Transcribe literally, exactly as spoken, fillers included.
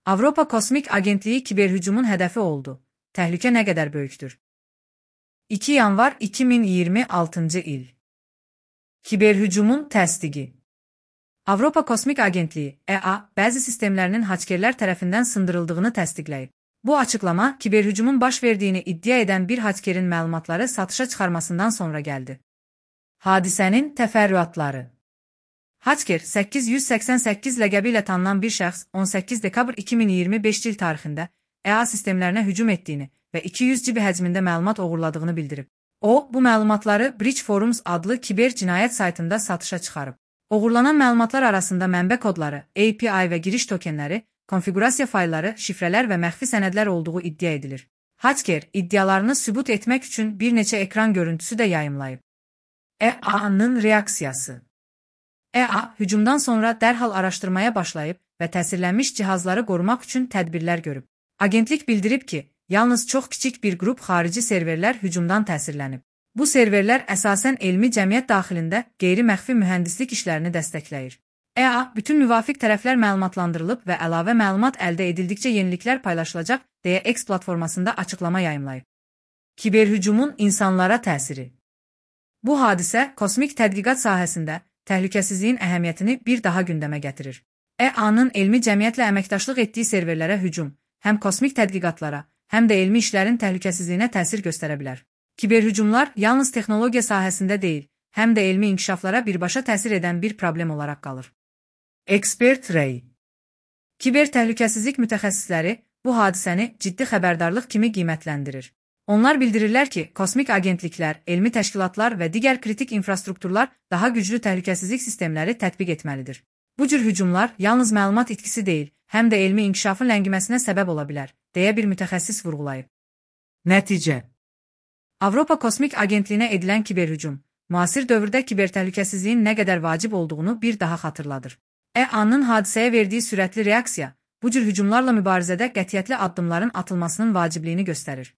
Avropa Kosmik Agentliyi kiberhücumun hədəfi oldu. Təhlükə nə qədər böyükdür? iki yanvar iki min iyirmi altıncı il. Kiberhücumun təsdiqi. Avropa Kosmik Agentliyi (E A) bəzi sistemlərinin hakerlər tərəfindən sındırıldığını təsdiqləyib. Bu açıqlama kiberhücumun baş verdiyini iddia edən bir hakerin məlumatları satışa çıxarmasından sonra gəldi. Hadisənin təfərrüatları. Haker səkkiz yüz səksən səkkiz ləqəbi ilə tanınan bir şəxs on səkkiz dekabr iki min iyirmi beş il tarixində E A sistemlərinə hücum etdiyini və iki yüz giqabit həcmində məlumat oğurladığını bildirib. O, bu məlumatları Breach Forums adlı kiber cinayət saytında satışa çıxarıb. Oğurlanan məlumatlar arasında mənbə kodları, A P I və giriş tokenləri, konfiqurasiya faylları, şifrələr və məxfi sənədlər olduğu iddia edilir. Haker iddialarını sübut etmək üçün bir neçə ekran görüntüsü də yayımlayıb. E A-nın reaksiyası. E A hücumdan sonra dərhal araşdırmaya başlayıb və təsirlənmiş cihazları qorumaq üçün tədbirlər görüb. Agentlik bildirib ki, yalnız çox kiçik bir qrup xarici serverlər hücumdan təsirlənib. Bu serverlər əsasən elmi cəmiyyət daxilində qeyri-məxfi mühəndislik işlərini dəstəkləyir. E A bütün müvafiq tərəflər məlumatlandırılıb və əlavə məlumat əldə edildikcə yeniliklər paylaşılacaq deyə X platformasında açıqlama yayımlayıb. Kiberhücumun insanlara təsiri. Bu hadisə kosmik tədqiqat sahəsində təhlükəsizliyin əhəmiyyətini bir daha gündəmə gətirir. E A-nın elmi cəmiyyətlə əməkdaşlıq etdiyi serverlərə hücum həm kosmik tədqiqatlara, həm də elmi işlərin təhlükəsizliyinə təsir göstərə bilər. Kiberhücumlar yalnız texnologiya sahəsində deyil, həm də elmi inkişaflara birbaşa təsir edən bir problem olaraq qalır. Expert Ray. Kiber təhlükəsizlik mütəxəssisləri bu hadisəni ciddi xəbərdarlıq kimi qiymətləndirir. Onlar bildirirlər ki, kosmik agentliklər, elmi təşkilatlar və digər kritik infrastrukturlar daha güclü təhlükəsizlik sistemləri tətbiq etməlidir. Bu cür hücumlar yalnız məlumat itkisi deyil, həm də elmi inkişafın ləngiməsinə səbəb ola bilər, deyə bir mütəxəssis vurğulayıb. Nəticə. Avropa Kosmik Agentliyinə edilən kiberhücum, müasir dövrdə kiber təhlükəsizliyin nə qədər vacib olduğunu bir daha xatırladır. E A-nın hadisəyə verdiyi sürətli reaksiya, bu cür hücumlarla mübarizədə qətiyyətli addımların atılmasının vacibliyini göstərir.